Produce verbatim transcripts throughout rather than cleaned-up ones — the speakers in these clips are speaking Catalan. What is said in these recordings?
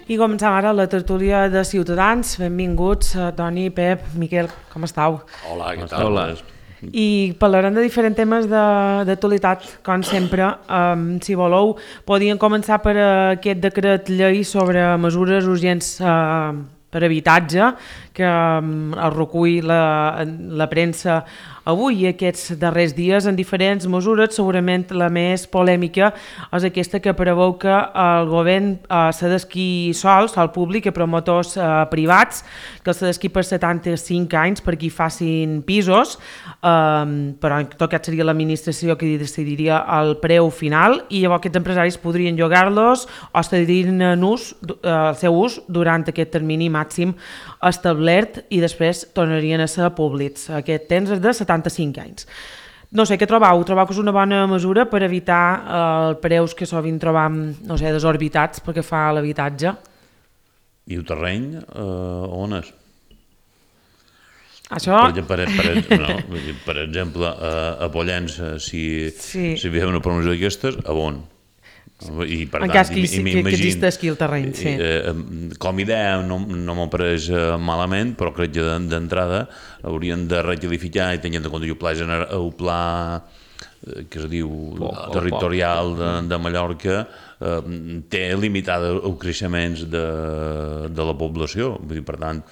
I començam ara la tertúlia de Ciutadans. Benvinguts, Toni, Pep, Miquel, com estàu? Hola, què tal? Hola. I parlarem de diferents temes d'actualitat, com sempre. Um, si voleu, podíem començar per aquest decret llei sobre mesures urgents uh, per habitatge, que um, el recull la, la premsa avui i aquests darrers dies en diferents mesures. Segurament la més polèmica és aquesta que preveu que el govern eh, cedesqui sols al públic a promotors eh, privats, que el cedesqui per setanta-cinc anys perquè hi facin pisos, eh, però en tot cas seria l'administració que decidiria el preu final i llavors aquests empresaris podrien llogar-los o cedirien en ús, eh, el seu ús durant aquest termini màxim establert i després tornarien a ser públics. Aquest temps és de setanta-cinc anys. No sé, què trobeu? Trobeu que és una bona mesura per evitar eh, els preus que sovint trobam, no sé, desorbitats perquè fa l'habitatge? I el terreny, eh, on és? Això... Per, per, per, no, per exemple, a, a Pollença, si, sí. si hi ha una promoció d'aquestes, a on? I, per en tant, cas que, i, que, i que existeixi el terreny, sí. Eh, com a idea no, no m'ho pareix malament, però crec que d'entrada haurien de requalificar i tenint en compte el pla, gener, el pla que es diu poc, territorial poc. De, de Mallorca eh, té limitada els creixements de, de la població. Vull dir, per tant,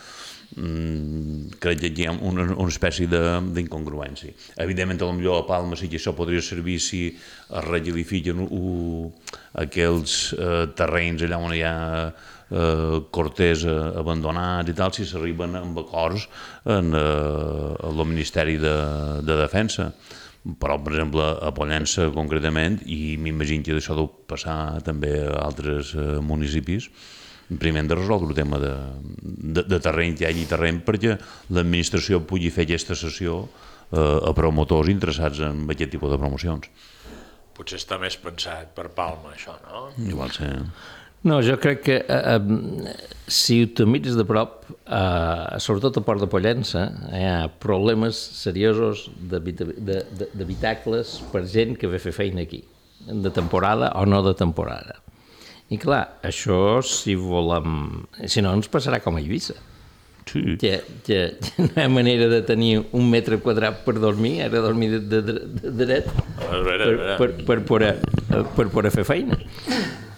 Mm, crec que hi ha una, una espècie d'incongruència. Evidentment, potser a Palma sí que això podria servir si es requalifiquen aquells eh, terrenys allà on hi ha eh, corters eh, abandonats i tal, si s'arriben amb acords en eh, el Ministeri de, de Defensa. Però, per exemple, a Pollença concretament, i m'imagino que això deu passar també a altres eh, municipis, primer hem de resoldre el tema de, de, de terreny, que hi hagi terreny perquè l'administració pugui fer aquesta cessió eh, a promotors interessats en aquest tipus de promocions. Potser està més pensat per Palma, això, no? Igual sí. No, jo crec que eh, si ho mires de prop, eh, sobretot a Port de Pollença, hi ha problemes seriosos d'habitacles per gent que ve a fer feina aquí, de temporada o no de temporada. I clar, això si volem... Si no, ens passarà com a Eivissa. Sí. Que, que, que no hi ha manera de tenir un metre quadrat per dormir, ara dormir de, de, de, de dret, a veure, per, per, per, poder, per poder fer feina.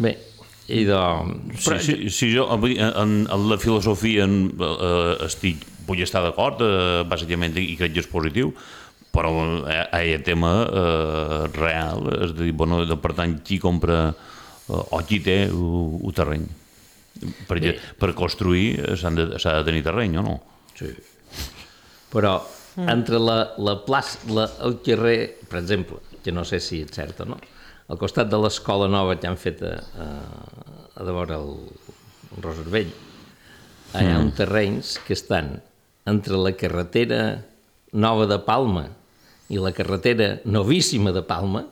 Bé, i doncs... Sí, sí, sí, jo en, en la filosofia en, eh, estic, vull estar d'acord, eh, bàsicament, i crec que és positiu, però hi ha el tema eh, real, és a dir, bueno, per tant, qui compra... o qui té el terreny. Perquè sí. Per construir s'ha de, de tenir terreny, o no? Sí. Però mm. entre la, la plaça, la, el carrer, per exemple, que no sé si és cert o no, al costat de l'escola nova que han fet a, a, a de vora el, el Roservell, hi ha mm. uns terrenys que estan entre la carretera nova de Palma i la carretera novíssima de Palma.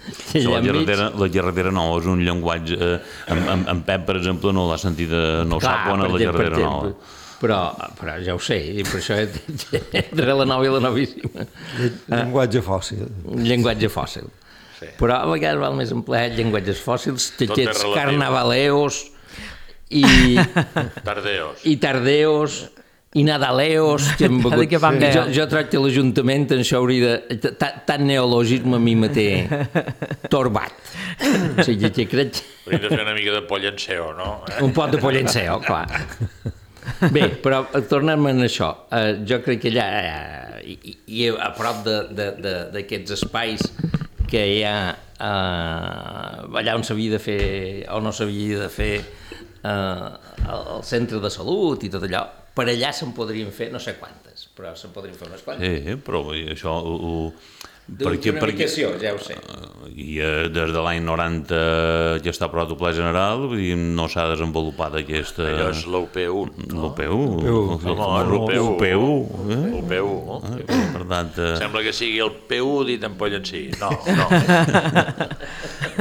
Sí, la, carretera, la carretera nova és un llenguatge eh, en, en, en Pep, per exemple, no l'ha sentit, no clar, sap on és la carretera nova, però, però ja ho sé, i per això entre la nova i la novíssima llenguatge fòssil llenguatge fòssil sí. Però a vegades val més emplear llenguatges fòssils que aquests carnavaleos i tardeos i tardeos i nadaleos que hem begut. Jo, jo tracto que l'Ajuntament en això hauria de... Tant neologisme a mi me té torbat. O sigui, que crec... Hauríem de fer una mica de pollenceo, no? Eh? Un pot de pollenceo, clar. Bé, però tornem a això. Uh, jo crec que allà, uh, i, i a prop d'aquests espais que hi ha uh, allà on s'havia de fer o no s'havia de fer uh, el centre de salut i tot allò, per allà se'n podrien fer no sé quantes, però se'n podrien fer unes quantes. Sí, però això... Uh, D'una ubicació, ja ho sé. I uh, des de l'any noranta ja està aprovat el Pla General, vull dir, no s'ha desenvolupat aquesta... Allò és l'U P u, no? L'U P u. L'U P u. L'U P u. L'U P u. Per tant... Sembla que sigui el P u dit en Pollencí. No, no.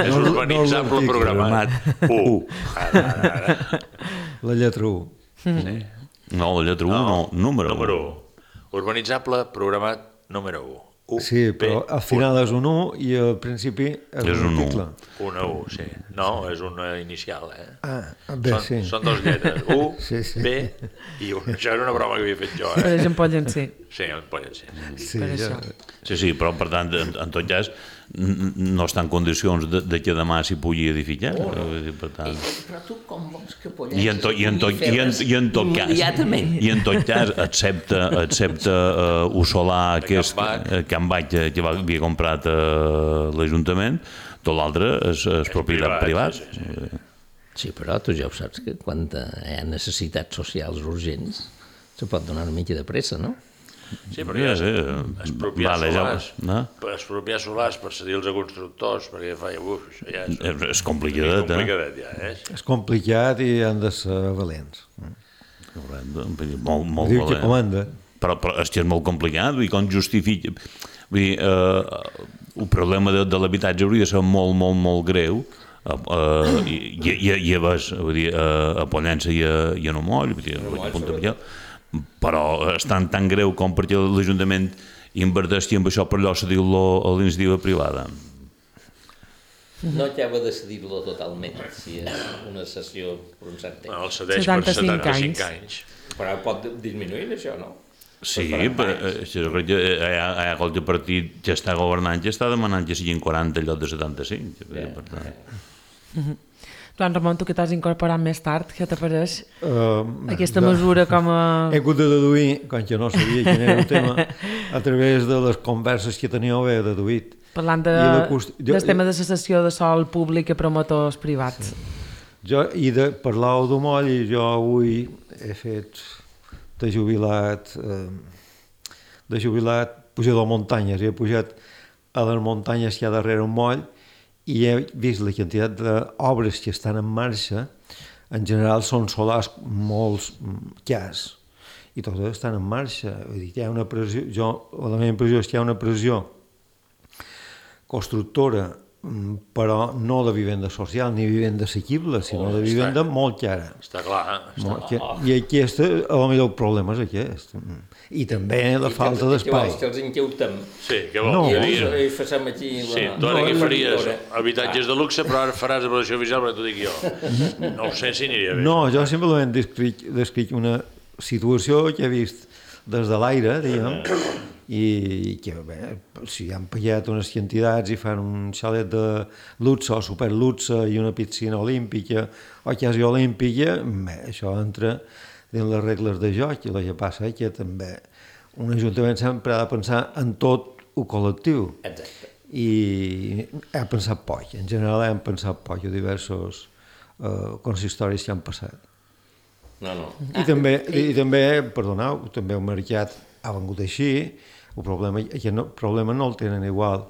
És urbanitzable programat. U. La lletra u. Sí. No, la lletra u, no, número u. Número u. Urbanitzable programat número u. U, Sí, però al final és un u i al principi és, És un un u. article. Una U, sí. No, és una inicial, eh? Ah, bé, són, sí. són dos lletres, U, Sí, sí. B i U. Això era una broma que havia fet jo, Per eh? exemple, poden ser. Sí, en poden ser. Sí, per ja. això. Sí, sí, però per tant, en, en tot cas, n- no està en condicions de, de que demà s'hi pugui edificar. Vull dir, per tant... Però tu com vols que Pollença I en, to, i, en to, i, en, i en tot cas immediatament? i en tot cas excepte, excepte uh, Usolà De aquest Can Bac. uh, Can Bac que, que va- havia comprat uh, l'Ajuntament, tot l'altre és, és propietat privat, privat, sí, privat. Sí, però tu ja ho saps, que quan hi ha necessitats socials urgents se pot donar una mica de pressa, no? Sí, però ja Sí, és sí. expropiar Vale, ja- solars, no? per expropiar solars per cedir-los a constructors, perquè fa, uf, això ja és, És, és és complicadet, eh? complicadet, ja, eh? És complicat i han de ser valents. Molt, molt Diu que valent. comanda. Però, però és que és molt complicat, vull dir, com justifica... Vull dir, eh, el problema de, de l'habitatge hauria de ser molt, molt, molt greu, eh, eh, i, i, i, i a, ves, vull dir, a, a Pollença i a, i a Nomoll, vull dir, a Punta Miquel, però és tan, tan greu com perquè l'Ajuntament inverteixi en això per allò cedir-lo a l'iniciativa privada. No acaba de decidir-lo totalment, si és una sessió per un cert temps. No, el cedeix per setanta-cinc setanta-cinc anys. anys. Però pot disminuir això, no? Sí, Per però anys. eh, jo crec que hi ha, hi ha qualque partit que està governant que està demanant que siguin quaranta en lloc de setanta-cinc. Ja, Per tant, Joan Ramon, tu que t'has incorporat més tard, què t'apareix Uh, aquesta mesura com a... He hagut de deduir, com que no sabia quin era el tema, a través de les converses que teníeu he deduït. Parlant de, I la cost- jo- del tema de cessació de sol públic a promotors privats. Jo, i de parlar de moll, i jo avui he fet de jubilat, eh, de jubilat pujador a muntanyes, i he pujat a les muntanyes que hi ha darrere un moll, i he vist la quantitat d'obres que estan en marxa. En general són solars molts cars, i totes estan en marxa. Vull dir, hi ha una pressió, jo, la meva impressió és que hi ha una pressió constructora, però no de vivenda social ni vivenda assequible, sinó de vivenda molt cara. Està clar, està Molt que- I aquest, a lo millor el problema és aquest. I també la falta d'espai. Que els inqueutem. Sí, què vol? No, Què I, dir? i facem aquí... La... Sí, tu ara no, què la faries? pintora. Habitatges de luxe, però ara faràs evaluació oficial, perquè t'ho dic jo. No ho sé si aniria bé. No, jo simplement descric, descric una situació que he vist des de l'aire, diguem, i que, bé, si han pagat unes quantitats i fan un xalet de luxe o superluxe i una piscina olímpica o quasi olímpica, bé, això entra dins les regles de joc, i el que passa és que també un ajuntament sempre ha de pensar en tot el col·lectiu. Exacte. I ha pensat poc, en general hem pensat poc a diversos eh, consistoris que han passat. No, no. I també, i també, perdoneu, també el mercat ha vengut així, el problema, el no, problema no el tenen igual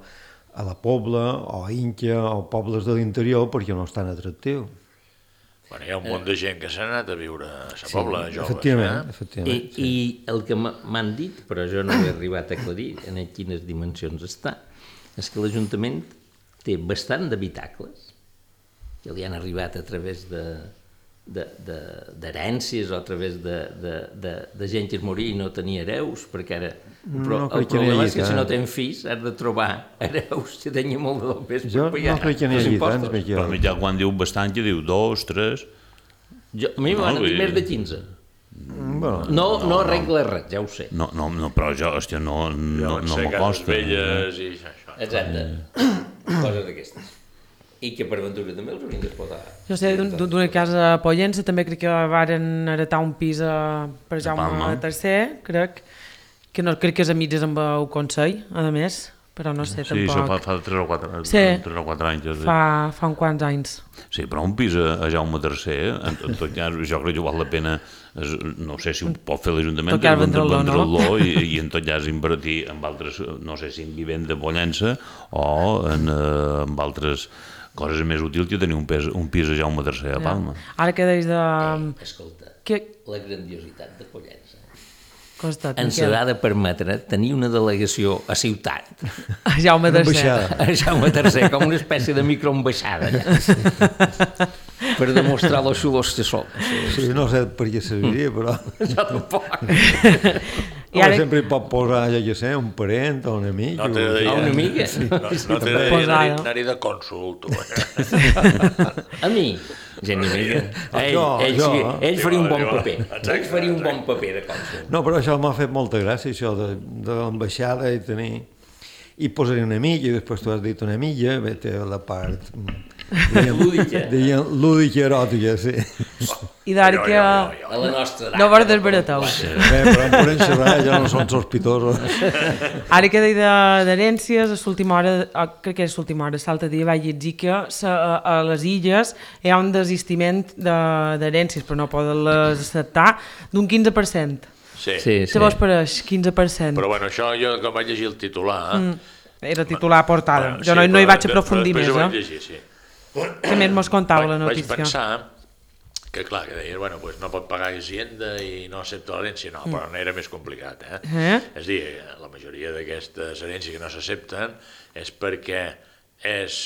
a la Pobla o a Inca o pobles de l'interior perquè no és tan atractiu. Bueno, hi ha un munt de gent que s'ha anat a viure a la Pobla, joves. Efectivament, Eh? efectivament. I, I el que m'ha- m'han dit, però jo no he arribat a aclarir en quines dimensions està, és que l'Ajuntament té bastant d'habitacles que li han arribat a través de d'herències o a través de, de, de, de gent que es moria i no tenia hereus, perquè ara però No el crec que n'hi problema hagi és que si no tant. tens fills has de trobar hereus que tenia molt de pes per Jo no pagar crec que n'hi els hagi impostos. tants, però Miquel. mitjà quan diu bastant, que diu dos, tres... Jo, a mi No, m'han vull dit dir- més de quinze. Bueno, No, no arregla res, ja ho sé. No, no, no, però jo, hòstia, no, no, Deuen no ser cases m'acosta. velles i això. Exacte. Coses d'aquestes. I que per ventura també els haurien d'explotar. Jo sé d'un- d'una casa a Pollença, també crec que varen heretar un pis a, per Jaume Palma. tercer, crec, que no crec que és a mitges amb el Consell, a més, però no sé, Sí, això fa, tampoc. fa tres o quatre, Sí. tres o quatre anys. és a dir. Fa, fa uns quants anys. Sí, però un pis a, a Jaume tercer, en, en tot cas, jo crec que val la pena, és, no sé si ho pot fer l'Ajuntament, Tot cas, vendre'l, no? vendre'l i, i en tot cas invertir en altres, no sé si en vivenda de Pollença o en, eh, en altres coses més útils que tenir un, pes, un pis a Jaume tercer a Palma. Ara que deies de... Eh, escolta, Que la grandiositat de Pollença costat, ens Miquel? ha de permetre tenir una delegació a ciutat, A Jaume una tercer. ambaixada. a Jaume tercer, com una espècie de microambaixada, per demostrar los xulos que som. Sí, no sé per què serviria, però... Jo tampoc. I ara... Sempre hi pot posar, ja que sé, un parent o un amic. No t'he de dir... una amiga? No, no t'he de dir anar-hi de cònsul, tu. A mi? Gent ni mica. Ell, Jo, ell, jo. sí, ell faria un bon Diu, paper. exacte, Ell faria un bon paper de cònsul. No, però això m'ha fet molta gràcia, això de, de l'ambaixada i tenir... I posar una amiga, i després tu has dit una amiga, bé, té la part... Lúdica. Deien lúdica eròtica, sí. I d'ara que... A la nostra edat. No vols desbaratar-ho. Bé, però em podem xerrar, ja no són sospitosos. Ara que deia d'herències, a l'última hora, crec que és l'última hora, l'altre dia vaig dir que a les illes hi ha un desistiment d'herències, però no poden les acceptar, d'un quinze per cent. Sí. Sí, Què vos pareix, quinze per cent? Però bueno, això jo quan vaig llegir el titular... Mm. Era titular portada. Bueno, Jo no, sí, no hi però vaig aprofundir després més, ho vaig eh? llegir, sí. Què més mos contava la Vaig notícia? pensar que, clar, que deia, bueno, pues no pot pagar Hacienda i no accepta l'herència. No, però no era més complicat, eh? Eh? És a dir, la majoria d'aquestes herències que no s'accepten és perquè és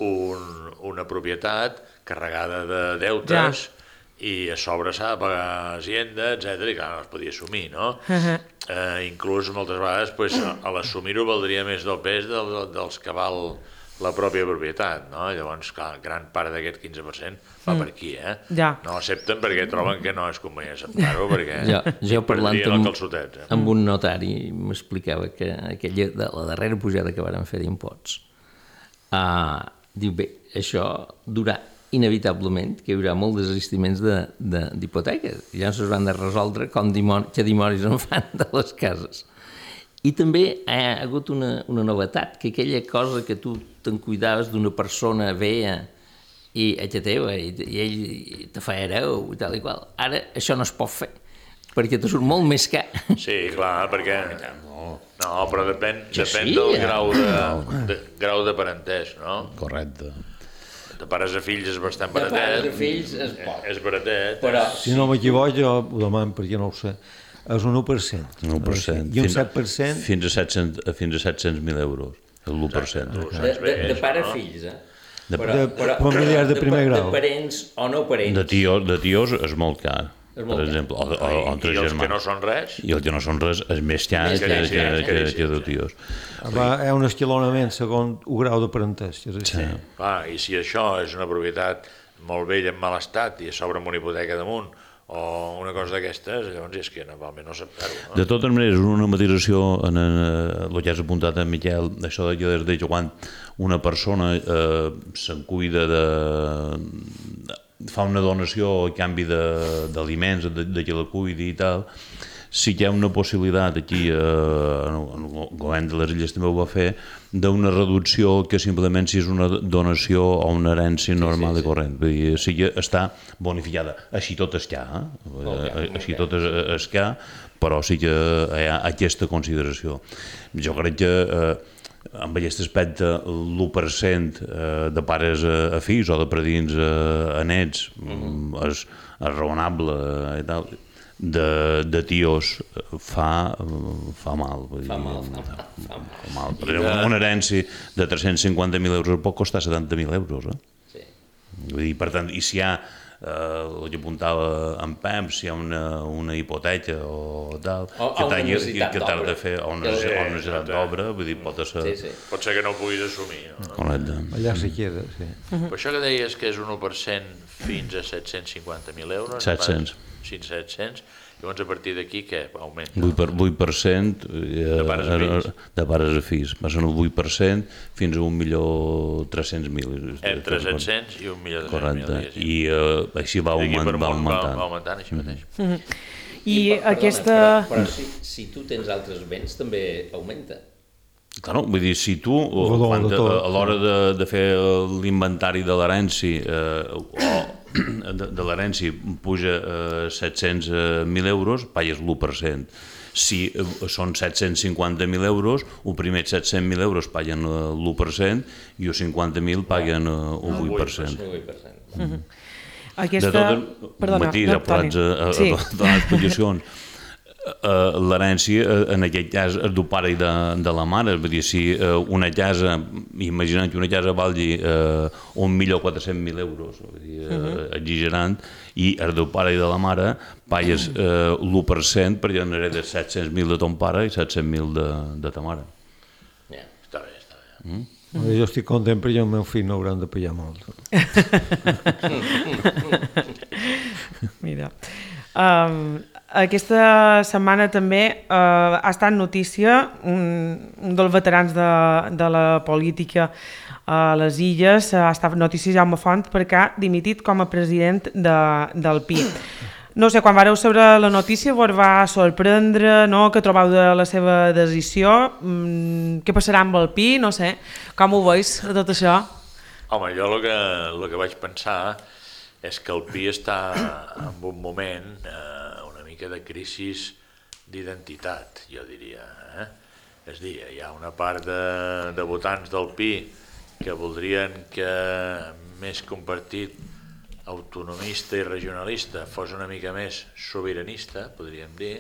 un, una propietat carregada de deutes ja. I a sobre s'ha de pagar Hacienda, etcètera, i clar, no es podia assumir, no? Uh-huh. Eh, inclús moltes vegades pues, a l'assumir-ho valdria més del pes del, dels que val la pròpia propietat, no? Llavors, clar, gran part d'aquest quinze per cent va mm. per aquí, eh? Ja. No accepten perquè troben que no és convenient acceptar-ho, perquè Jo, jo parlant amb, calçotet, eh? amb un notari m'explicava que aquella, de la darrera pujada que varen fer d'imposts, uh, diu, bé, això durà inevitablement que hi haurà molts desistiments d'hipoteques. De, ja no es van de resoldre com dimon, que dimonis en fan de les cases. I també hi ha hagut una, una novetat, que aquella cosa que tu te'n cuidaves d'una persona vella i ella teva, i, i ell te fa hereu i tal i qual. Ara això no es pot fer, perquè te surt molt més car. Sí, clar, perquè... No, no però depèn, ja depèn sí, del ja. grau de, de, grau de parentès, no? Correcte. De pares a fills és bastant De baratet. pares a fills es pot. És baratet. Però Si no m'equivoco, jo ho demano perquè no ho sé, és un u per cent. un u per cent. I un Fins- set per cent... Fins a set-cents fins a set-cents mil euros, l'u per cent. de, de, de pare a fills, eh? De- Però, de- però, familiars de primer de, grau. De parents o no parents. De tios, de tios és molt car, És molt per car. exemple, o, o, o I, entre I els que no germans. són res, I els que no són res és més car Més que, car, que, sí, que, sí, que, sí, que de sí. tios. Va, hi ha un esquilonament segons un grau de parentès. És així. Sí. clar, i si això és una propietat molt vella en mal estat i a sobre amb una hipoteca damunt, o una cosa d'aquestes, llavors és que normalment no acceptar-ho. No? De totes maneres, una matisació en, en, en el que has apuntat en Miquel, això de que des de quan una persona eh, se'n cuida de, de fa una donació a canvi d'aliments, de, de, de que la cuidi i tal, sí que hi ha una possibilitat aquí, eh, el govern de les Illes també ho va fer, d'una reducció que simplement si és una donació o una herència normal sí, sí, sí. i corrent. Vull dir, sí que està bonificada. Així tot es que, eh? Okay, Així tot es, es que, però sí que hi ha aquesta consideració. Jo crec que eh, amb aquest aspecte l'u per cent eh, de pares a, a fills o de predins a, a nets mm. és, és raonable i tal. De, de tios fa, fa mal. Vull Fa dir, mal, fa mal, fa mal. Fa mal. Per exemple, una herència de tres-cents cinquanta mil euros pot costar setanta mil euros. Eh? Sí. Vull dir, per tant, i si hi ha, eh, el que apuntava en Pep, si hi ha una, una hipoteca o tal, O- o que una t'hagi necessitat que t'has de d'obra. fer, o una, Sí, o una necessitat sí. d'obra, vull dir, pot ser... Sí, sí. Pot ser que no ho puguis assumir. No? Correcte. Allà se queda, sí. Però això que deies que és un u per cent fins a set-cents cinquanta mil euros... set-cents. Fins a set-cents. Llavors, a partir d'aquí, què? Augmenta. vuit per cent de pares a fills. de pares a fills. Va ser un vuit per cent fins a un milió tres-cents mil. Entre set-cents i un milió de Correcte. diguéssim. I eh, així va, D'aquí augment, per va amunt augmentant. Va, va augmentant així mateix. I perdona, aquesta... Però, però si, si tu tens altres béns, també augmenta. Claro, vull dir, si tu, Rodó, quan, de tot. a l'hora de, de fer l'inventari de l'herència, eh, o de, de l'herència puja eh, set-cents mil euros, pagues l'u per cent. Si eh, són set-cents cinquanta mil euros, el primer set-cents mil euros paguen eh, l'u per cent i els cinquanta mil paguen eh, el vuit per cent. El vuit per cent. Aquesta... De tot, Perdona, matís, no, apurats a, a, sí. a, a les explicacions. l'herència, en aquest cas, és del pare i de, de la mare. Vull dir, si una casa, imagina't que una casa valgui eh, un milió quatre-cents mil euros, vull dir, eh, uh-huh. exagerant, i és del pare i de la mare, pagues eh, l'u per cent perquè n'heredes set-cents mil de ton pare i set-cents mil de, de ta mare. Yeah. Està bé, està bé. Mm? Mm. Jo estic content perquè el meu fill no hauran de pagar molt. Mira, um, aquesta setmana també uh, ha estat notícia un, un dels veterans de, de la política a les Illes, ha estat notícia Jaume Font perquè ha dimitit com a president de, del Pi. No sé, quan vareu saber la notícia vos va sorprendre, no?, que trobeu de la seva decisió, mm, què passarà amb el Pi, no sé, com ho veus, tot això? Home, jo el que, el que vaig pensar és que el Pi està en un moment eh, una mica de crisi d'identitat, jo diria. Eh? És a dir, hi ha una part de, de votants del Pi que voldrien que més que un partit autonomista i regionalista fos una mica més sobiranista, podríem dir,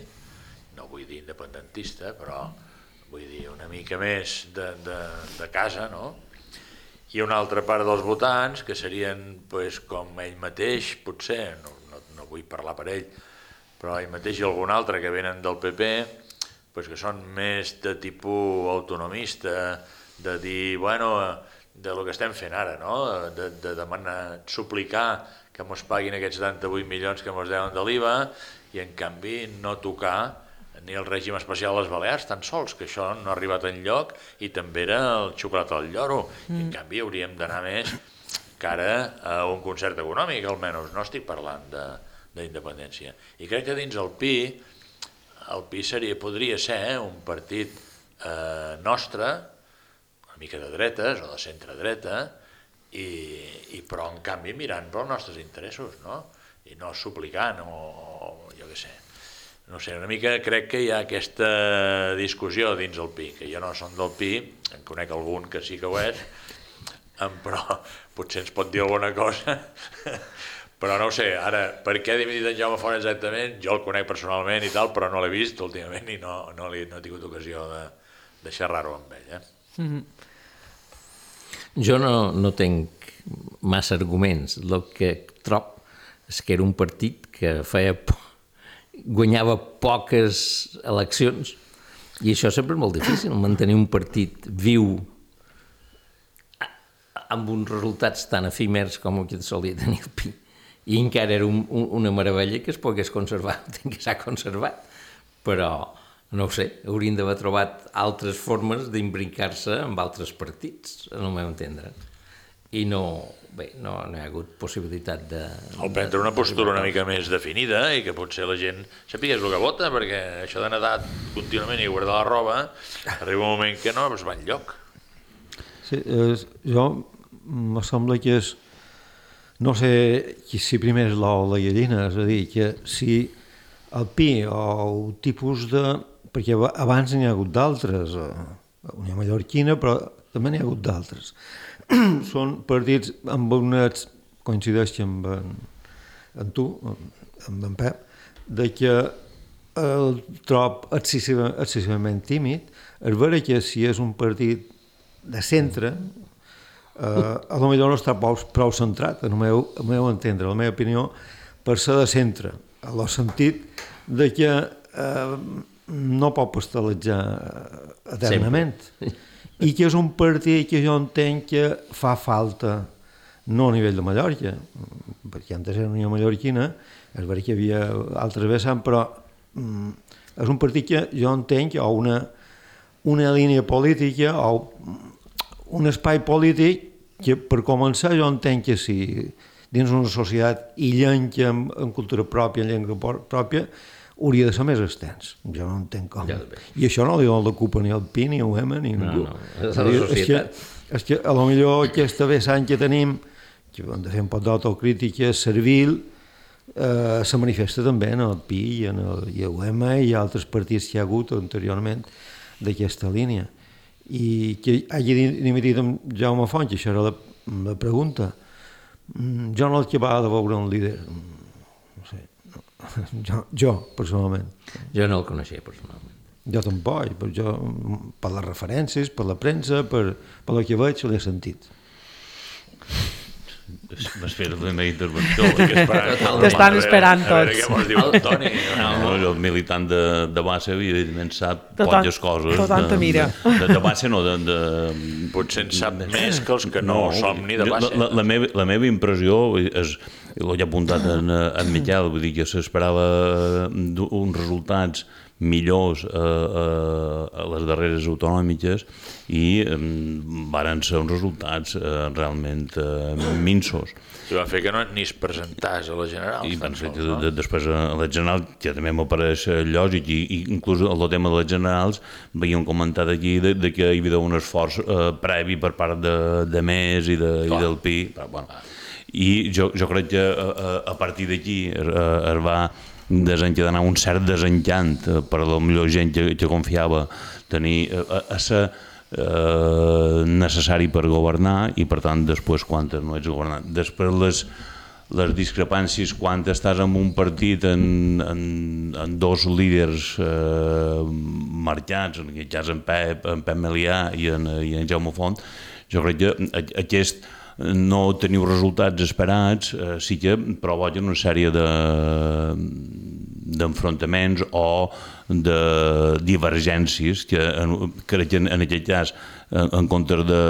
no vull dir independentista, però vull dir una mica més de, de, de casa, no? I una altra part dels votants, que serien pues, com ell mateix, potser, no, no, no vull parlar per ell, però ell mateix i algun altre que venen del P P, pues, que són més de tipus autonomista, de dir, bueno, de lo que estem fent ara, no? de, de demanar, suplicar que mos paguin aquests setanta-vuit milions que mos deuen de l'I V A i en canvi no tocar ni el règim especial a les Balears, tan sols, que això no ha arribat enlloc i també era el xocolata al lloro. Mm. I en canvi hauríem d'anar més cara a un concert econòmic, almenys, no estic parlant d'independència. I crec que dins el Pi, el Pi seria, podria ser eh, un partit eh, nostre, una mica de dretes o de centre-dreta, i, i però en canvi mirant pels nostres interessos, no? I no suplicant o, o jo què sé. No sé, una mica crec que hi ha aquesta discussió dins el Pi, que jo no som del Pi, en conec algun que sí que ho és, però potser ens pot dir alguna cosa, però no ho sé, ara, per què ha dimitit en Jaume Font exactament? Jo el conec personalment i tal, però no l'he vist últimament i no, no, li, no he tingut ocasió de, de xerrar-ho amb ell. Eh? Mm-hmm. Jo no, no tinc massa arguments. El que trob és que era un partit que feia por, guanyava poques eleccions i això sempre és molt difícil, mantenir un partit viu amb uns resultats tan efímers com el que solia tenir el Pi, i encara era un, un, una meravella que es pogués conservar, que s'ha conservat, però no ho sé, haurien d'haver trobat altres formes d'imbricar-se amb altres partits, no m'ho entendre. I no, bé, no, no hi ha hagut possibilitat de... O prendre una postura una mica més definida i que potser la gent sapigués el que vota, perquè això de nedar contínuament i guardar la roba, arriba un moment que no es va enlloc. Sí, és, jo me sembla que és, no sé si primer és l'ou o la gallina, és a dir, que si el Pi o el tipus de... perquè abans n'hi ha hagut d'altres, Unió Mallorquina, però també n'hi ha hagut d'altres. Són partits amb unes, coincideix amb en, en tu, amb en Pep, de que el trob excessivament, excessivament tímid, és vera que si és un partit de centre, eh, a lo millor no està prou, prou centrat, en el meu, el meu entendre, la meva opinió, per ser de centre, en el sentit de que eh, no pot pastelejar eternament. Sempre. I que és un partit que jo entenc que fa falta, no a nivell de Mallorca, perquè antes era Unió Mallorquina, és veritat que hi havia altres vessants, però mm, és un partit que jo entenc que o una, una línia política o un espai polític que per començar jo entenc que si dins una societat illenca amb, amb cultura pròpia, en llengua pròpia, hauria de ser més extens. Jo no entenc com. Ja, I això no li dona la culpa ni al Pi, ni a U M, ni a ningú. No, no. És la societat. És que, és que a lo millor aquesta vessant que tenim, que hem de fer un pot d'autocrítica servil, eh, se manifesta també en el Pi i en el i a U M i altres partits que hi ha hagut anteriorment d'aquesta línia. I que hagi dimitit amb Jaume Font, que això era la, la pregunta, jo no l'acabava de veure un líder, no sé, no. Jo, jo, personalment. Jo no el coneixia personalment. Jo tampoc, però jo, per les referències, per la premsa, per, per el que veig, l'he sentit. M'has fet la meva intervenció. T'estan esperant tots. A veure què mos diu el Toni. No, el militant de, de base, evidentment, sap Tot poques coses. tot tant te mira. De, de, de base no, de... de Potser en sap més que els que no, no som ni de base. La, la, la, meva, la meva impressió és, ho he apuntat en, en Miquel, vull dir que s'esperava uns resultats millors a, a, a les darreres autonòmiques i um, varen ser uns resultats uh, realment uh, minsos. I va fer que no ni es presentàs a la general. I van fer que no? de, després a la general, que també m'apareix lògic, i, i inclús el tema de les generals havíem comentat aquí de, de que hi havia un esforç uh, previ per part de, de Més i, de, i del Pi. Però, bueno, i jo, jo crec que a, a partir d'aquí es, es va desencadenar un cert desencant per a la millor gent que, que confiava tenir a, a ser eh, necessari per governar i per tant després quan no ets governant. Després les, les discrepàncies quan estàs en un partit en, en, en dos líders eh, marcats, en aquest cas en Pep, en Pep Melià i en, i en Jaume Font, jo crec que aquest no teniu resultats esperats, eh, sí que provoquen una sèrie de d'enfrontaments o de divergències que crec que en aquest cas en comptes de,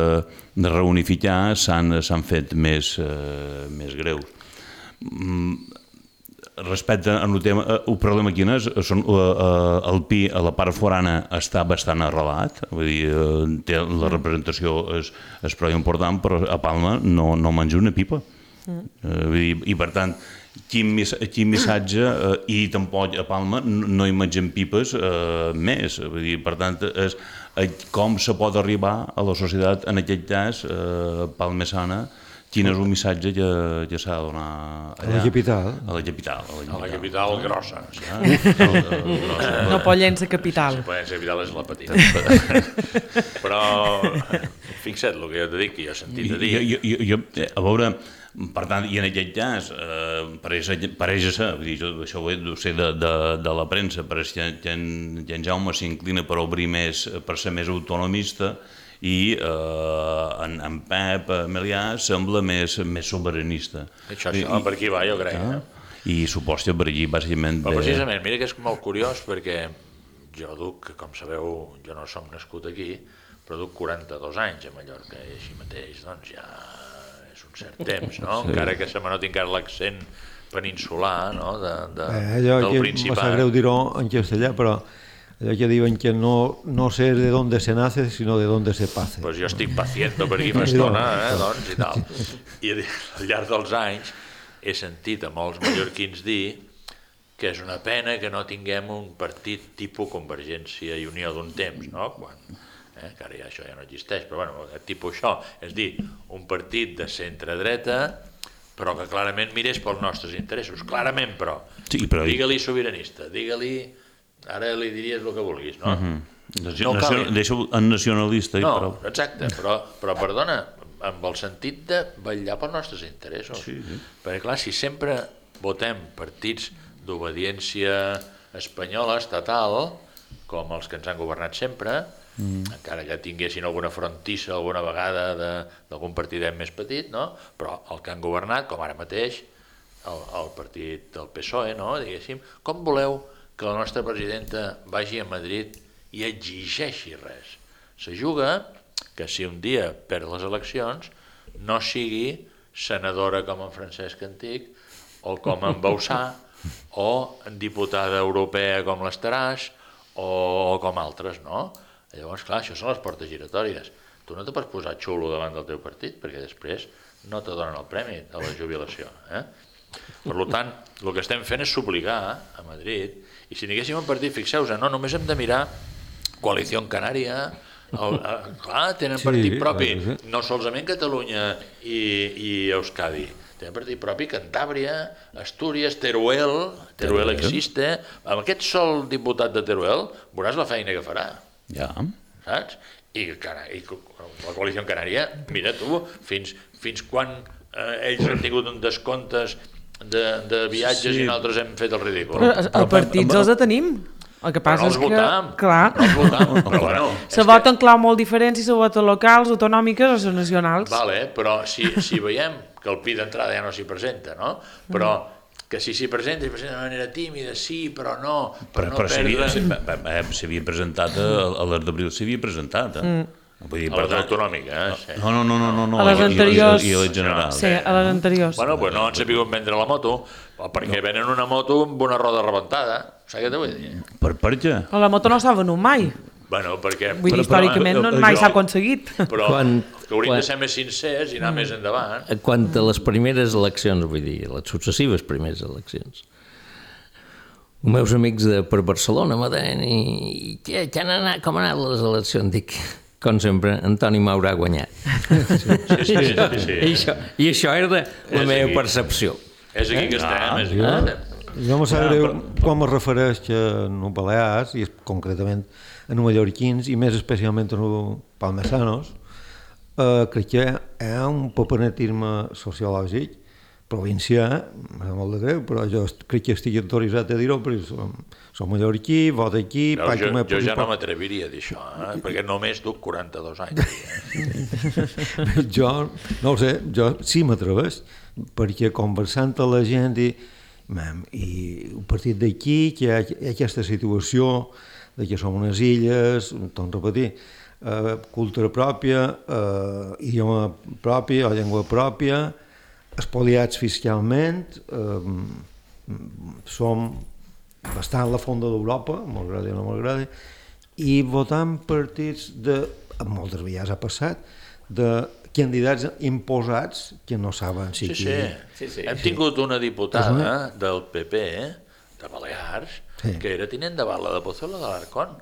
de reunificar s'han fet més, eh, més greus. Respecte al tema, el problema quin és, són, el Pi a la part forana està bastant arrelat, vull dir, té, la representació és, és prou important, però a Palma no, no menja una pipa. Mm. Vull dir, i per tant, quin, quin missatge, eh, i tampoc a Palma no hi mengen pipes eh, més, vull dir, per tant, és com se pot arribar a la societat, en aquest cas, eh, palmesana, quin és un missatge que, que s'ha de donar allà? A la capital. A la capital. A la capital, a la capital grossa. Ja, grossa. No Pollença capital. Sí, Pollença capital és la petita. Però fixa't el que jo t'he dit, que jo he sentit a dir. Jo, jo, jo, a veure, per tant, i en aquest cas, eh, pareix, pareix ser, vull dir, jo això ho he sé de, de, de la premsa, pareix que, que, en, que en Jaume s'inclina per obrir més, per ser més autonomista, i eh, en, en Pep Melià sembla més, més soberanista. Això, això, I, per aquí va, jo crec. Ah, eh? I supos que per aquí, bàsicament... Però precisament, mira que és molt curiós, perquè jo duc, com sabeu, jo no som nascut aquí, però duc quaranta-dos anys a Mallorca, i així mateix, doncs ja és un cert temps, no? Sí. Encara que se me noti encara l'accent peninsular, no?, de, de, eh, del Principat. Me sap greu dir-ho en castellà, però allò que diuen que no, no sé de dónde se nace, sinó de dónde se pase. Pues jo estic paciendo per aquí fa estona, eh, doncs, i tal. I al llarg dels anys he sentit a molts mallorquins dir que és una pena que no tinguem un partit tipus Convergència i Unió d'un temps, no? Quan, eh, que ara ja això ja no existeix, però bueno, tipus això, és dir, un partit de centre-dreta, però que clarament mirés pels nostres interessos, clarament, però. Sí, però... Digue-li sobiranista, digue-li... Ara li diries el que vulguis, no? Uh-huh. No cal... Deixa-ho en nacionalista. No, però... exacte, però, però perdona, amb el sentit de vetllar pels nostres interessos. Sí, sí. Perquè clar, si sempre votem partits d'obediència espanyola, estatal, com els que ens han governat sempre, mm. encara que tinguessin alguna frontissa alguna vegada d'algun partidet més petit, no? Però el que han governat, com ara mateix, el, el partit del P S O E, no? Diguéssim, com voleu que la nostra presidenta vagi a Madrid i exigeixi res. Se juga que si un dia perd les eleccions no sigui senadora com en Francesc Antic o com en Bausà o diputada europea com l'Estaràs o com altres, no? Llavors, clar, això són les portes giratòries. Tu no te pots posar xulo davant del teu partit perquè després no te donen el premi de la jubilació. Eh? Per tant, el que estem fent és subligar a Madrid. I si tinguéssim un partit, fixeu-vos, no, només hem de mirar Coalició Canària, el, el, clar, tenen sí, partit propi, sí. No solament Catalunya i, i Euskadi, tenen partit propi Cantàbria, Astúries, Teruel, Teruel existe, amb aquest sol diputat de Teruel veuràs la feina que farà, ja. Saps? I, i la Coalició Canària, mira tu, fins, fins quan eh, ells han tingut un descomptes de, de viatges sí. i nosaltres hem fet el ridícul. Però els partits els tenim. El que passa no els és que, votam, clar, no els votam, però bueno... se voten que... clau molt diferents si se voten locals, autonòmiques o les nacionals. Vale, però si, si veiem que el Pi d'entrada ja no s'hi presenta, no? Però que si s'hi presenta, s'hi presenta de manera tímida, sí, però no, per però, no però perdre... s'havia presentat, a l'Art d'Abril s'havia presentat, eh? Mm. Vull dir, a les autonòmiques, eh? Sí. No, no, no, no, no. A les anteriors... I a les generals. Sí, a les anteriors. Bueno, pues no han sabut vendre la moto, perquè venen una moto amb una roda rebentada, saps què t'ho vull dir? Per, per què? Però la moto no s'ha venut mai. Bueno, perquè... Vull dir, històricament no, mai s'ha aconseguit. Però Quan, que hauríem quan, de ser més sincers i anar mm. més endavant. Quant a les primeres eleccions, vull dir, les successives primeres eleccions, els meus amics de, per Barcelona me deien i què, què han anat, com han anat les eleccions? Dic, com sempre, Antoni m'haurà guanyat. Sí, sí, sí, sí, sí. I, això, I això era de la és meva aquí. percepció. És aquí que estem, Ah, és jo, aquí. jo me sap greu quan me refereix a no Balears, i concretament a no mallorquins, i més especialment a no palmesanos, eh, crec que hi ha un papenetisme sociològic provincià, m'ha molt de greu, però jo crec que estic autoritzat a dir-ho, perquè som, som mallorquí, vot aquí... No, jo, jo ja no m'atreviria a dir això, eh? perquè només duc quaranta-dos anys. Eh? jo, no ho sé, jo sí m'atreveix, perquè conversant amb la gent i, mam, i un partit d'aquí, que hi ha, hi ha aquesta situació de que som unes illes, torno a repetir, eh, cultura pròpia, eh, idioma propi o llengua pròpia, espoliats fiscalment, eh, som bastant la fonda d'Europa, m'agrada o no m'agrada, i votant partits de, moltes vegades ha passat, de candidats imposats que no saben si... Sí, sí, sí, sí. Hem tingut una diputada del P P, de Balears, sí. que era tinent de bala de Pozuelo de l'Arcón.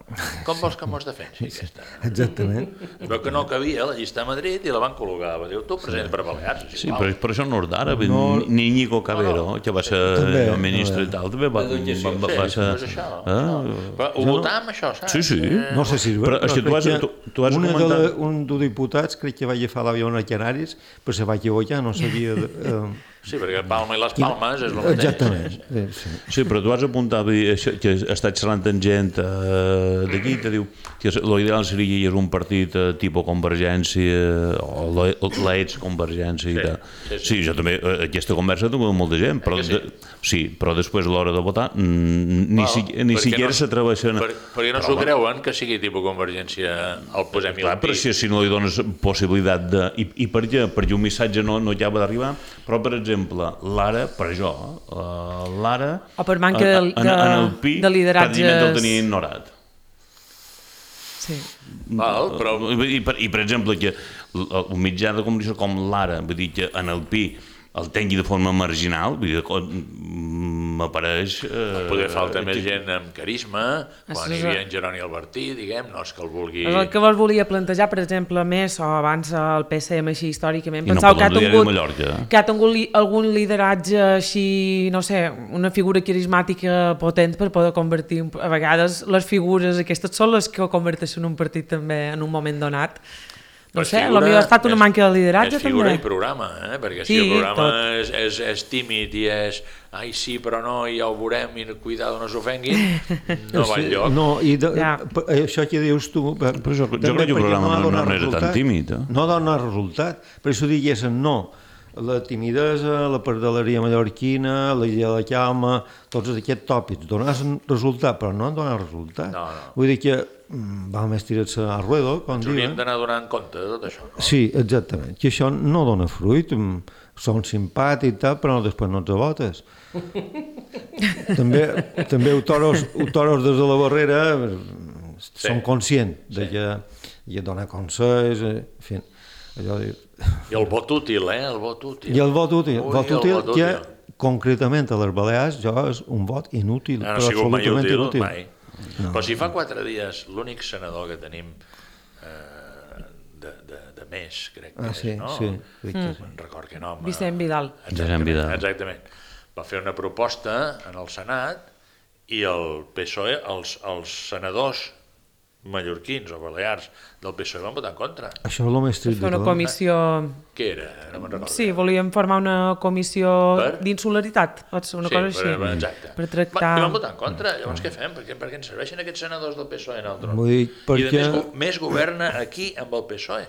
Com vols que mos defensi aquesta? Exactament. Però que no cabia a la llista a Madrid i la van col·locar. Va dir, tu present per Balears. Sí, però, però això no és d'ara. No... Ni Íñigo Cabero, que va ser també, el ministre i tal, també va, va, va, va, va ser... Sí, això, això. Però ho votàvem, això, saps? Sí, sí. No sé si és però, és que tu has, tu, tu has una comentat... de, un dels diputats crec que va agafar l'avió a Canaris, però se va equivocar, no sabia... Eh, Sí, perquè Palma i les Palmes és el mateix. Exactament. Sí, sí. sí, però tu has apuntat això, que estàs xerrant amb gent eh, d'aquí, te diu que l'ideal seria és un partit eh, tipus Convergència o l'ex-Convergència i tal. Sí, sí, sí. sí, jo també, aquesta conversa tinc amb molta gent, però, sí? De, sí, però després a l'hora de votar ni, Val, si, ni siquiera no, s'atreveixen... Per, perquè no s'ho creuen que sigui tipus Convergència el posem i clar, el però si, si no li dones possibilitat de... I, i per què? Perquè un missatge no, no acaba d'arribar, però per exemple l'ara, per jo, uh, l'ara... O per manca de, en, en, en el Pi, de lideratges... pràcticament el tenia ignorat. Sí. Val, però... I, per, I, per exemple, que un mitjà de comunicació com l'ara, vull dir que en el Pi el tengui de forma marginal, vull dir, m'apareix... Eh, Poder falta més gent amb carisma, quan hi havia en Jeroni Albertí, diguem, no és que el vulgui... És el que vos volia plantejar, per exemple, més, o abans el P C M així històricament, I pensau no que ha tingut, Mallorca, eh? que ha tingut li, algun lideratge així, no sé, una figura carismàtica potent per poder convertir... A vegades les figures aquestes són les que converteixen un partit també en un moment donat. No sé, potser ha estat una és, manca de lideratge, també. És figura també. i programa, eh? Perquè sí, si el programa és, és, és tímid i és ai sí, però no, i ja ho veurem i cuidado, no s'ofenguin, no va enlloc. No, i de, ja. això que dius tu... Però jo, jo crec que el programa no, no, no era tan tímid. Eh? No dona resultat, per això diguessin no. La timidesa, la pardaleria mallorquina, la idea de la calma, tots aquests tòpics donen resultat, però no donen resultat. No, no. Vull dir que va més tirar-se a ruedo, com diuen. Hauríem d'anar donant compte de tot això. No? Sí, exactament, que això no dona fruit, són simpàtics i tal, però després no els votes. també també autors, autors des de la barrera sí. són conscients de sí. que hi ha donar consells, en fi, allò de... I el vot útil, eh? El vot útil. I el vot útil, Ui, vot útil, vot que útil. Concretament a les Balears jo és un vot inútil, no, no però absolutament útil, inútil. Mai. No. Però si fa quatre dies l'únic senador que tenim eh, de, de, de més, crec que ah, sí, és, no? Sí, crec que sí. No record que nom. Vicent Vidal. Vicent Vidal. Exactament. Va fer una proposta en el Senat i el P S O E, els, els senadors mallorquins o balears del P S O E van votar en contra. Això és el més trist. Fer una comissió... Què era? No me'n recordo. Sí, volíem formar una comissió Per? d'insularitat, pot ser una Sí, cosa així. per- exacte. Per tractar... Va, I van votar en contra, llavors què fem? Per què, per què ens serveixen aquests senadors del P S O E en el tron? Vull dir, I perquè- de més, go- més governa aquí amb el P S O E.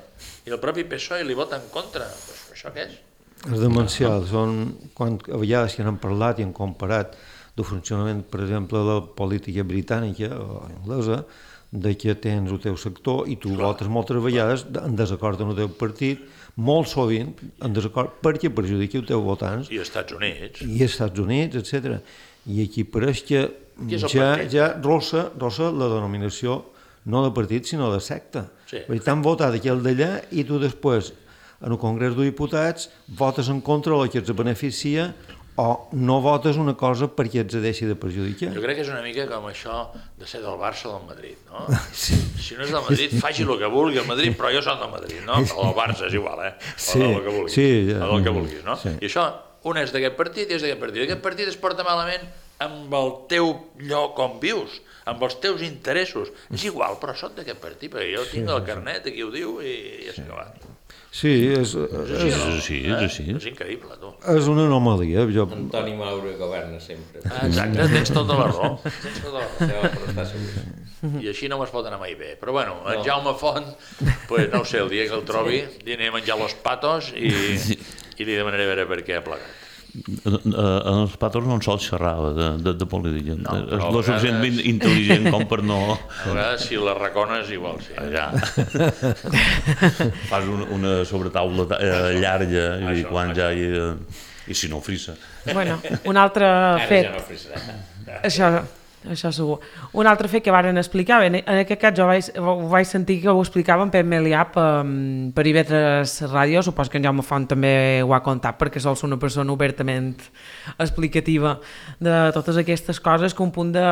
I el propi P S O E li vota en contra. Pues, això què és? És demencial. Són, quan, a vegades que n'han parlat i han comparat del funcionament, per exemple, de la política britànica o anglesa, de que tens el teu sector i tu Clar. votes moltes vegades en desacord amb el teu partit, molt sovint en desacord perquè perjudiqui els teus votants I als Estats Units. i als Estats Units, etcètera. I aquí pareix que Qui és el ja, partit? ja rossa, rossa la denominació no de partit, sinó de secta. Sí. Vull dir, t'han votat aquell d'allà i tu després, en el Congrés dels Diputats, votes en contra del que els beneficia o no votes una cosa perquè ets deixi de perjudicar. Jo crec que és una mica com això de ser del Barça o del Madrid, no? Sí. Si no és del Madrid, faci el que vulgui el Madrid, però jo soc del Madrid, no? O del Barça, és igual, eh? O Sí, del que vulguis. sí, ja. O del que vulguis, no? Sí. I això, un és d'aquest partit i és d'aquest partit. Aquest partit es porta malament amb el teu lloc on vius, amb els teus interessos. És igual, però soc d'aquest partit, perquè jo tinc el carnet, aquí ho diu, i ja s'ha acabat. Sí, és, És és, així, És no? així, és Eh? així. És increïble, tu. és una anomalia. Jo, Antoni Maura governa sempre. Exacte, tens tota la raó. Tens tota la raó. Ja va, però està segur. I així no m'es pot anar mai bé. Però bueno, en Jaume Font, pues, no ho sé, el dia que el trobi, li aniré a menjar los patos i, i li demanaré a veure per què ha plegat. En els patos no en sol xerrar de, de, de política. No, és però a lo suficientment vegades- intel·ligent com per no... A vegades, si la recones, igual sí. Ja. Fas una, una sobretaula eh, llarga i Això, quan això. ja hi, eh, i si no frissa. Bueno, un altre Ara fet... ja no frisarà. Això, això segur. Un altre fet que varen explicar, bé, en aquest cas jo vaig, ho vaig sentir que ho explicava en Pep Melià per, per I V tres Ràdio, supos que en Jaume Font també ho ha contat perquè sol ser una persona obertament explicativa de totes aquestes coses, que un punt de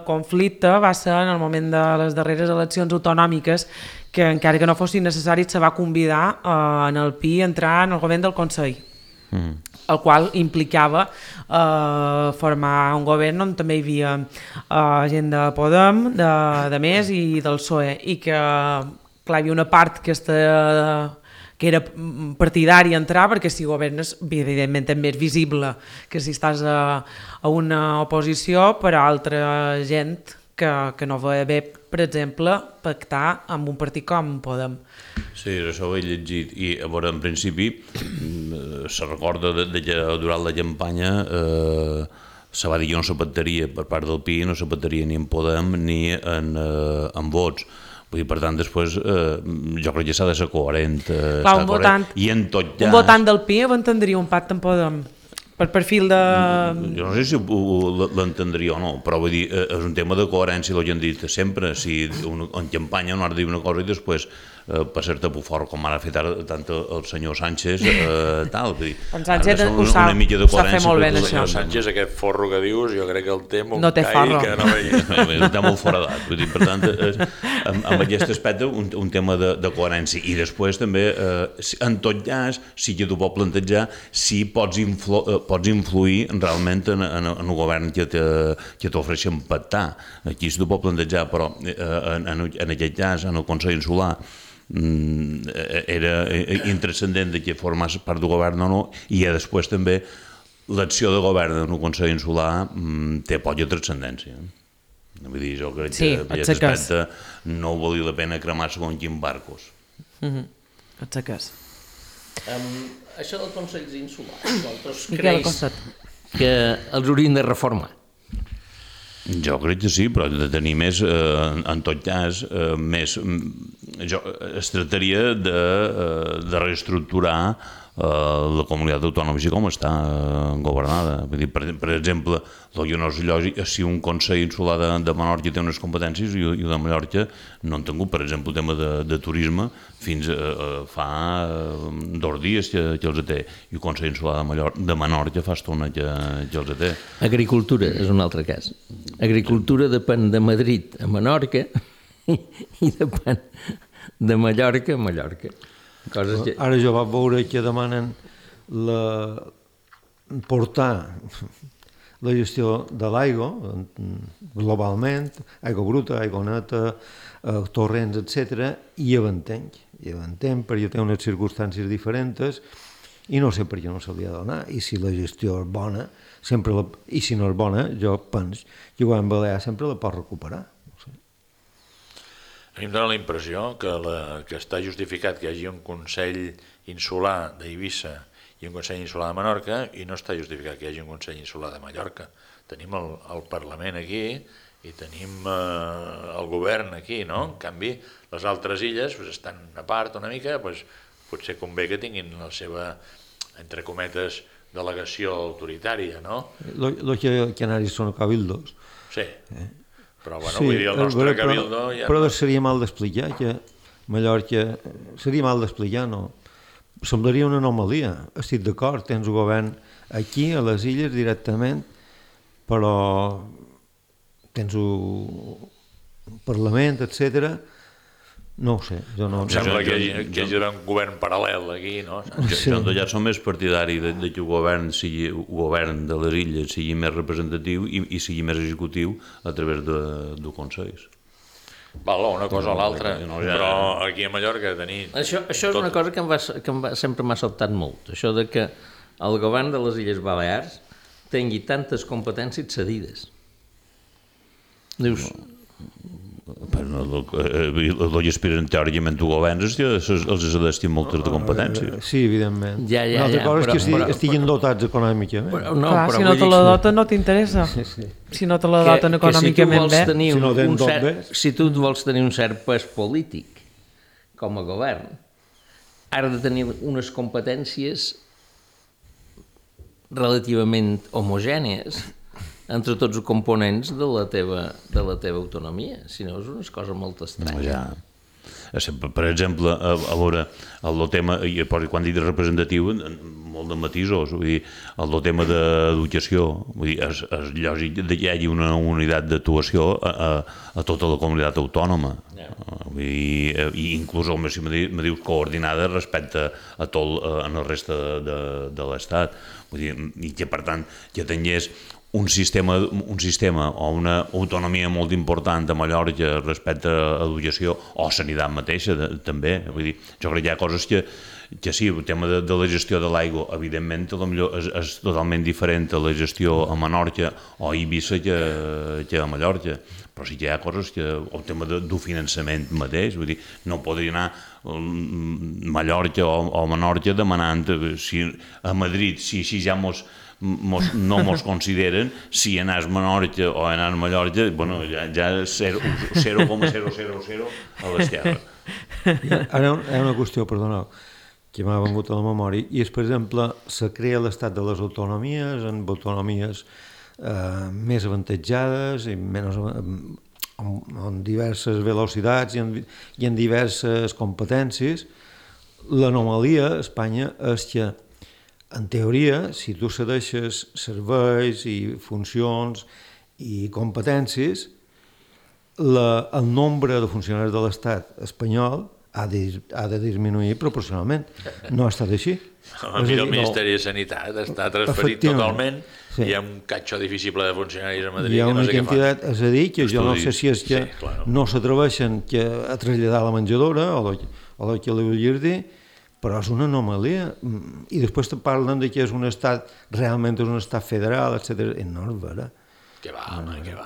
conflicte va ser en el moment de les darreres eleccions autonòmiques, que encara que no fossin necessaris se va convidar eh, en el Pi a entrar en el govern del Consell. Mm. El qual implicava eh, formar un govern on també hi havia eh, gent de Podem, de, de Més i del P S O E, i que clar, hi havia una part que, esta, que era partidària a entrar, perquè si governes, evidentment també és visible que si estàs a, a una oposició, per a altra gent que, que no va bé, per exemple, pactar amb un partit com Podem. Sí, això ho he llegit i a veure, en principi eh, se recorda de, de que durant la campanya eh, se va dir que no se pactaria per part del Pi, no se pactaria ni en Podem ni en, eh, en vots. Vull dir, per tant, després eh, jo crec que s'ha de ser coherent. Eh, Clar, un un votant, i en tot un cas... votant del Pi entendria un pacte amb Podem per perfil de... Jo no sé si ho- l'entendria o no, però vull dir, eh, és un tema de coherència, el que hem dit sempre. Si un, en campanya no has de dir una cosa i després eh, passar-te per fort, com ara ha fet ara tant el senyor Sánchez, eh, tal. Vull dir, En Sánchez ha de ser ho sap- una mica de ho sap fer coherència molt bé, per això. Senyor tot. Sánchez, aquest forro que dius, jo crec que el té amb un No té call forro. que no veia. Està molt foradat. Vull dir, per tant, és, amb, amb aquest aspecte, un, un tema de, de coherència. I després també, eh, si- en tot cas, sí que tu pots plantejar si pots, influ, eh, pots influir realment en, en, en el govern que te- que t'ofereixen pactar. Aquí sí t'ho pots plantejar, però eh, en, en, en aquest cas, en el Consell Insular, mm, era intranscendent de que formés part del govern o no, i després també l'acció de govern en el Consell Insular mm, té poca transcendència. Vull dir, jo crec Sí, que per et aquest seques. aspecte no valia la pena cremar segons quins barcos. Mhm. Et seques. Um, això del Consell Insular, vosaltres Miquel creus Costat. que els haurien de reformar? Jo crec que sí, però de tenir més, eh, en tot cas, eh, més, mm, jo, es tractaria de, eh, de reestructurar eh, la comunitat autònoma així com està eh, governada. Vull dir, per, per exemple, el que no és lògic és si un Consell Insular de, de Menorca té unes competències i, i de Mallorca no han tingut, per exemple, el tema de, de turisme fins a, a fa eh, dos dies que, que els té, i el Consell Insular de, Mallorca, de Menorca fa estona que, que els té. Agricultura és un altre cas. Agricultura depèn de Madrid a Menorca i, i depèn de Mallorca a Mallorca. Coses que... Ara jo vaig veure que demanen la... portar la gestió de l'aigua, globalment, aigua bruta, aigua neta, eh, torrents, etcètera, i ja ho entenc, ja ho entenc, perquè té unes circumstàncies diferents i no sé per què no se li ha de donar, i si la gestió és bona, sempre la, i si no és bona, jo penso, jo en Balear sempre la pot recuperar. No sé. A mi em dóna la impressió que, la, que està justificat que hi hagi un Consell Insular d'Eivissa i un Consell Insular de Menorca, i no està justificat que hi hagi un Consell Insular de Mallorca. Tenim el, el Parlament aquí i tenim eh, el govern aquí, no? En canvi, les altres illes pues, estan a part una mica, pues, potser convé que tinguin la seva, entre cometes, delegació autoritària, no? Los canaris són cabildos. Sí, però bueno, sí, vull dir, el nostre però, cabildo... Ja però no... seria mal d'explicar que Mallorca... Seria mal d'explicar, no? Semblaria una anomalia. Estic d'acord, tens un govern aquí, a les illes, directament, però tens un Parlament, etcètera. No ho sé, jo no... Em sembla que hi, que hi haurà un govern paral·lel aquí, no? Jo, jo ja som més partidari de, de que el govern, sigui, el govern de les illes sigui més representatiu i, i sigui més executiu a través de, de consells. Val, una cosa o l'altra, però aquí a Mallorca tenir... Això, això és una cosa que, em va, que em va, sempre m'ha sobtat molt, això de que el govern de les Illes Balears tingui tantes competències cedides. Dius... Però els aspiren teòricament a governs els ha d'estir moltes de competències. Sí, evidentment. Ja, ja, Una altra ja, cosa però, és que però, estiguin dotats econòmicament. Però, no, Clar, però si no te la doten no t'interessa. Sí, sí. Si no te la doten econòmicament bé. Si, si, no un tot cert, bé. si tu vols tenir un cert pes polític com a govern, has de tenir unes competències relativament homogènies entre tots els components de la teva, de la teva autonomia. Si no, és una cosa molt estranya. No, ja. Per exemple, a, a veure, el tema, quan dic representatiu, molt de matisos, vull dir, el tema d'educació, vull dir, és, és lògic que hi hagi una unitat d'actuació a, a, a tota la comunitat autònoma. Yeah. Vull dir, i inclús, si me dius, coordinada respecte a tot en el reste de, de, de l'Estat. Vull dir, i que, per tant, que tingués un sistema, un sistema o una autonomia molt important a Mallorca respecte a l'educació o sanitat mateixa, de, també. Vull dir, jo crec que hi ha coses que, que sí, el tema de, de la gestió de l'aigua, evidentment, és, és totalment diferent a la gestió a Menorca o a Eivissa que, que a Mallorca. Però sí que hi ha coses que, el tema de, del finançament mateix, vull dir, no podria anar Mallorca o, o Menorca demanant si a Madrid, si així ja mos Mos, no mos consideren, si anàs a Menorca o anàs a Mallorca, bueno, ja, ja és zero coma zero zero zero a l'esquerra. Ara hi ha una qüestió, perdoneu, que m'ha vengut a la memòria, i és, per exemple, se crea l'estat de les autonomies, amb autonomies eh, més avantatjades i menys, amb diverses velocitats i en, i en diverses competències. L'anomalia a Espanya és que, en teoria, si tu cedeixes serveis i funcions i competències, la, el nombre de funcionaris de l'Estat espanyol ha de, ha de disminuir proporcionalment. No ha estat així. A mi el Ministeri de Sanitat està transferit totalment, sí. Hi ha un catxo difícil de funcionaris a Madrid. Hi ha una no sé quantitat, és a dir, que jo no sé si és que sí, claro. No s'atreveixen a traslladar la menjadora o el, o el que li vull dir, però és una anomalia. I després te parlen de que és un estat, realment és un estat federal, etcètera. I no és vera. Què va, home, què va.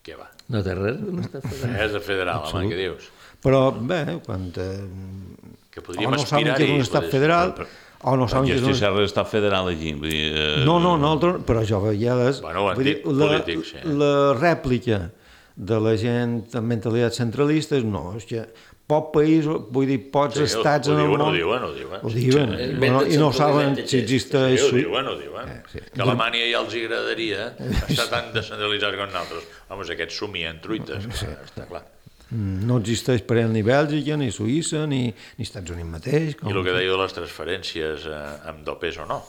Què va. No té res d'un estat federal. És de federal, home, què dius? Però, bé, quan... Eh, que podríem o no saben que és un estat federal, o no saben que és un... Jo estic estat federal aquí. Vull dir, eh... No, no, nosaltres, però jo veia les... Bueno, ho han dit polítics, sí. La rèplica de la gent amb mentalitat centralista és no, és que poc país, vull dir, pocs sí, estats ho, ho en el diuen, món... Ho diuen, ho diuen. Ho diuen, sí, bueno, i no saben si existeix... Sí, ho diuen, ho diuen. Eh, sí. Que a Alemanya ja els agradaria estar tan descentralitzats com nosaltres. Vamos, aquests somien truites, sí. Està clar. No existeix per ell ni Bèlgica, ni Suïssa, ni, ni Estats Units mateix. Com... I el que dèieu de les transferències eh, amb dopes o no.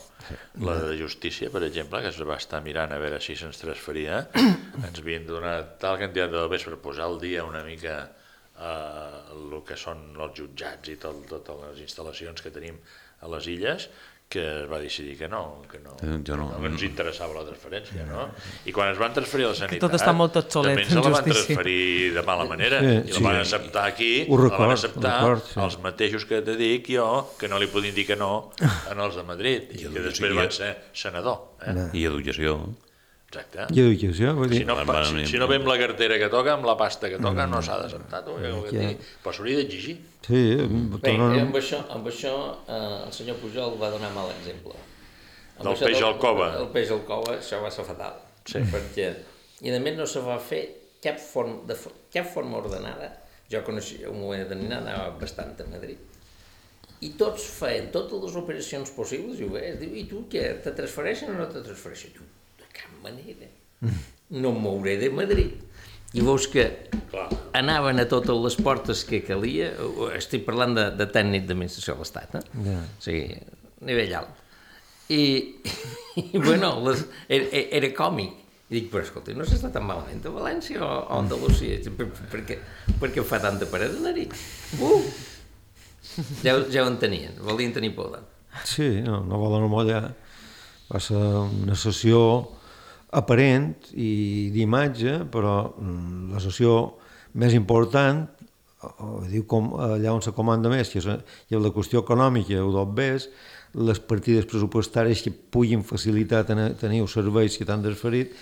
La de justícia, per exemple, que es va estar mirant a veure si se'ns transferia, ens havien donat tal quantitat de dopes per posar al dia una mica eh, el que són els jutjats i tot, totes les instal·lacions que tenim a les illes, que es va decidir que no, que no, Jo no. no ens interessava la transferència, no? I quan es van transferir a la sanitat, tot està molt obsolet, també ens en la van justícia. transferir de mala manera, Sí, i la sí. van acceptar aquí, Ho la record, van ho acceptar record, sí. els mateixos que te dic jo, que no li podien dir que no en els de Madrid, i que després van ser senador. Eh? I educació. Exacte. I educació, vull dir... Si no, pa- si, si no ve amb la cartera que toca, amb la pasta que toca, no s'ha d'acceptar. Tu, ja, Ja. però s'hauria d'exigir. Sí, Bé, tornen... amb això, amb això eh, el senyor Pujol va donar mal exemple. Amb Del això peix al cove. El peix al cove, això va ser fatal. Sí. Perquè, i a més no se va fer cap forma, de, fo- cap forma ordenada. Jo coneixia un moment determinat, anava bastant a Madrid. I tots feien totes les operacions possibles i ho veies. Diu, i tu què, te transfereixen o no te transfereixen? Tu, de cap manera. No em mouré de Madrid. I veus que Clar. anaven a totes les portes que calia. Estic parlant de, de tècnic d'administració de l'Estat, eh? Ja. O sigui, nivell alt. I, i bueno, les, era, era còmic. I dic, però escolta, no s'està tan malament a València o a Andalusia? Per, per, què, per què fa tanta paret de nariz? Uh! Ja, ja ho entenien, volien tenir por. Sí, no, no volen mollar. Va ser una sessió aparent i d'imatge, però mm, la sessió més important, o, diu com, allà on se comanda més, que és, hi ha la qüestió econòmica, ho d'on ves, les partides pressupostàries que puguin facilitar tenir, tenir els serveis que t'han desferit,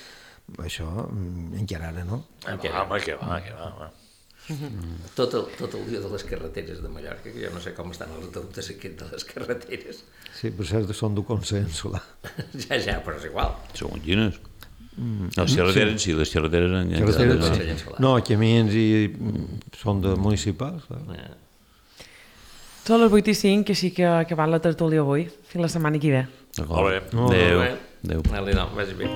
això mm, encara ara no. Eh, va, home, que va, que va, va. Tot el, tot el dia de les carreteres de Mallorca, que jo no sé com estan els deutes aquests de les carreteres. Sí, per cert, són d'un consens, clar. Ja, ja, però és igual. Segons quines. Les carreteres, sí, les carreteres... en- en- Carreteres, no. sí. No, camins i mm, són de municipals. Clar. Eh, Són les vuit i cinc, així que acabant la tertúlia avui. Fins la setmana que ve. D'acord. Molt bé. Molt bé. Adéu. Molt bé. Adéu. Adéu, no, vagi bé.